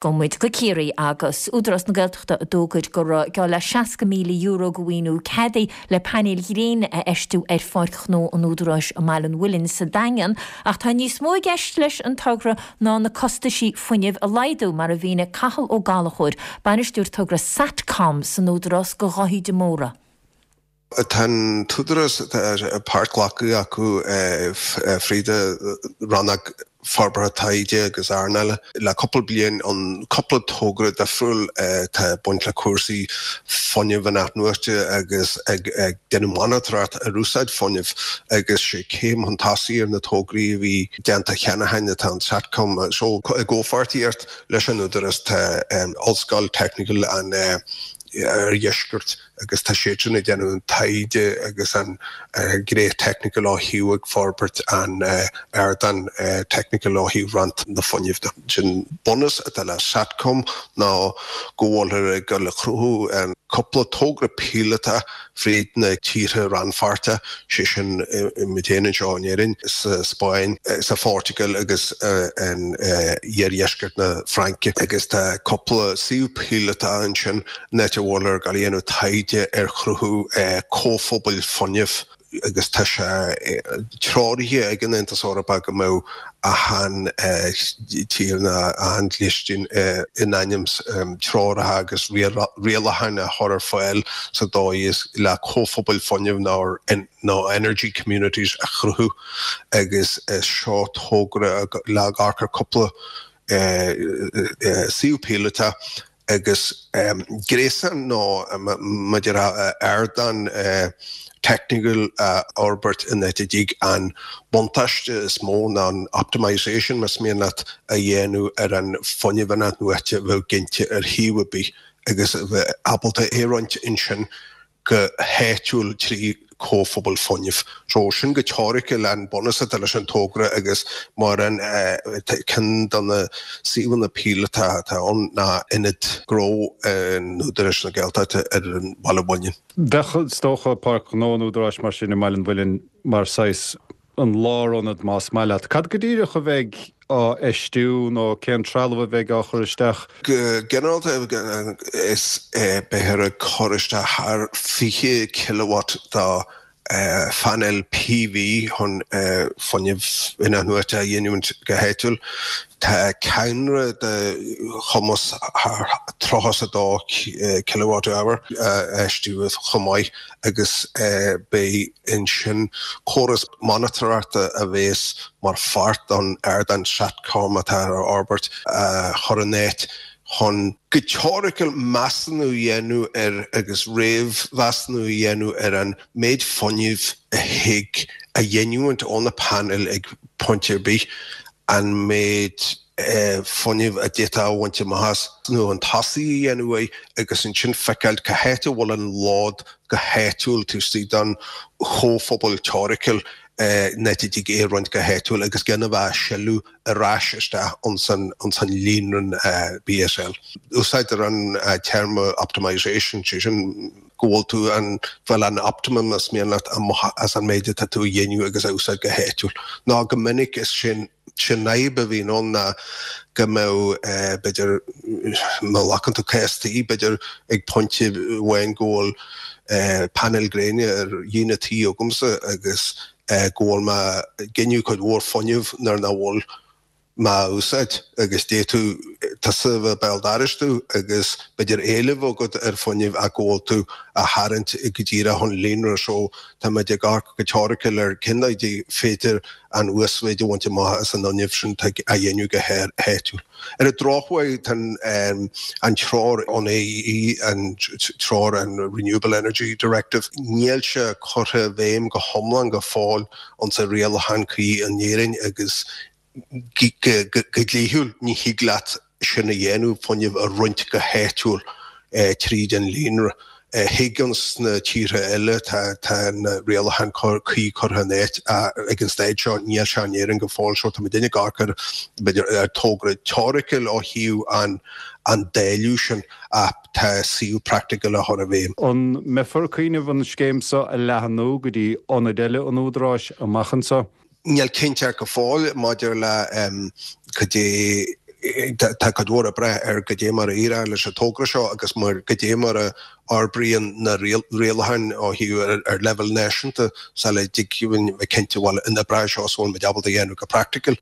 Gabhfaidh muid go Ciarraí agus Údarás na Gaeltachta a d'fhógair go raibh geall le €60,000 de mhaoiniú ceadaithe le painéil ghréine a fheistiú ar Pháirc Ghnó an Údaráis i mBaile an Mhuilinn sa Daingean. Ach tá níos mó i gceist leis an togra ná na costaisí fuinnimh a laghdú, mar a mhínigh Cathal Ó Gallchóir, Bainisteoir Togra Satcom san Údarás do Dháithí de Mórdha. Tá an tÚdarás, páirt glacadh acu fríd rannóg forbartha taighde agus earnála le cúpla bliain ann cúpla togra difriúil atá ag baint le cúrsaí fuinnimh in-athnuaite agus ag déanamh monatóireacht ar úsáid fuinnimh agus sé céim chun tosaigh ar na tograí a bhí déanta cheana féin atá an Satcom so i gcomhpháirtíocht leis an Údarás tá Ollscoil Teicniúil an Oirdheiscirt agus tá siadsan ag déanamh an taighde agus an ghné teicniúil ó thaobh ag forbairt an ardán teicniúil ó thaobh roinnt na fuinnimh de. Sin bunús atá le Satcom ná go bhfuilthear ag dul a chruthú cúpla togra píolótach fríd na tíortha rannpháirteacha, sé sin muid féin anseo in Éirinn, sa Spáinn, sa Phortaingéil agus in iardheisceart na Fraince agus tá cúpla suíomh píolótach ansin an áit a bhfuilthear ag dul a dhéanamh taighde ar chruthú comhphobail fuinnimh agus tá sé treoraithe ag an Aontas Eorpach go mbeadh achan tír nó achan dlistean in ainm treoracha agus rialacháin a chur ar fáil sa dóigh is le comhphobail fuinnimh nó energy communities a chruthú agus is seo togra le amharc ar cúpla suíomh píolótach agus gréasán nó maidir le ardán teicniúil a fhorbairt in áit a dtig an buntáiste is mó ná an optimisation, más mian leat, a dhéanamh ar an fuinneamh in-athnuaite a bheadh ginte ar shuíomh ar bith agus a bheith ábalta é a roinnt ansin go háitiúil trí chomhphobail fuinnimh. So sin go teoiriciúil an bunús atá leis an togra agus mar an ceann de na suíomhanna píolótacha atá ann ná Ionad Gnó an Údaráis na Gaeltachta ar an Bhaile Mhuilinn. Bheadh, is dócha, Páirc Ghnó an Údaráis mar sin i mBaile an Mhuilinn mar saghas an lárionad más maith leat. Cad go díreach a bheidh á fheistiú nó cén trealamh a bheidh á chur isteach? Go ginearálta is beifear ag cur isteach thar 20 kilowatt de phainéil PV chun fuinneamh in-athnuaite a ghiniúint go háitiúil. Tá cadhnra de chumas thar 32 kilowatt hour á fheistiú chomh maith agus beidh ansin córas monatóireachta a bheas mar pháirt don ardán Satcom atá á fhorbairt a chur in áit chun, go teoiriciúil, measúnú a dhéanamh ar agus réamh-mheasúnú a dhéanamh ar an méid fuinnimh a thig a ghiniúint ó na painéil ag pointe ar bith, an méid fuinnimh a d'fhéadfá a bhaint amach as, nó an tosaigh a dhéanamh air agus ansin feiceáil cá háit a bhfuil an lód go háitiúil taobh istigh den chomhphobal teoiriciúil in áit a dtig é a roinnt go háitiúil agus gan a bheith á sileadh ar ais isteach ins an líonra BSL. Úsáidtear an téarma optimisation, sé sin go bhfuil tú ag fáil an optimum más mian leat amach as an méid atá tú a dhéanamh agus a úsáid go háitiúil. Nó go minic is sin Sin fhadhb a bhíonn ann ná go mbeadh, b'fhéidir, má ghlacann tú cás tí, b'fhéidir ag pointe amháin go bhfuil painéil gréine ar dhíon an tí agamsa agus go bhfuil mé ag giniúint cuid mhór fuinnimh nuair nach bhfuil mé á úsáid agus d'fhéadfadh tusa a bheith béal dorais domh agus b'fhéidir éileamh agat ar fuinneamh ach go bhfuil tú á tharraingt go díreach ón líonra so tá muid ag amharc go teoiriciúil ar cén dóigh a féidir an uasmhéid a bhaint amach as an fhuinneamh sin atá á dhéanamh go háitiúil. Ar an drochuair, tá an treoir ón AE, an treoir an Renewable Energy Directive, níl sé curtha i bhfeidhm go hiomlán go fóill insa rialachán cuí in Éirinn agus go dlíthiúil ní thig leat sin a dhéanamh, fuinneamh a roinnt go háitiúil tríd an líonra. Thig ins na tíortha eile, tá na rialacháin cuí curtha in áit ag an staid seo, níl sé in Éirinn go fóill so tá muidinne ag amharc ar, b'fhéidir, ar togra teoiriciúil ó thaobh an an dáileadh sin ach tá suíomh praiticiúil á chur i bhfeidhm. An mbeifear ag cuimhneamh an scéim seo a leathnú go dtí ionaid eile an Údaráis amach anseo? Níl cinnteacht go fóill maidir le cad é. Tá cuid mhór ag brath ar goidé mar a éireoidh leis an togra seo agus mar goidé mar a fhorbraíonn na rialacháin ó thaobh ar leibhéal náisiúnta sula dtig linn bheith cinnte bhfuil an obair seo is bhfuil muid ábalta a dhéanamh go praiticiúil.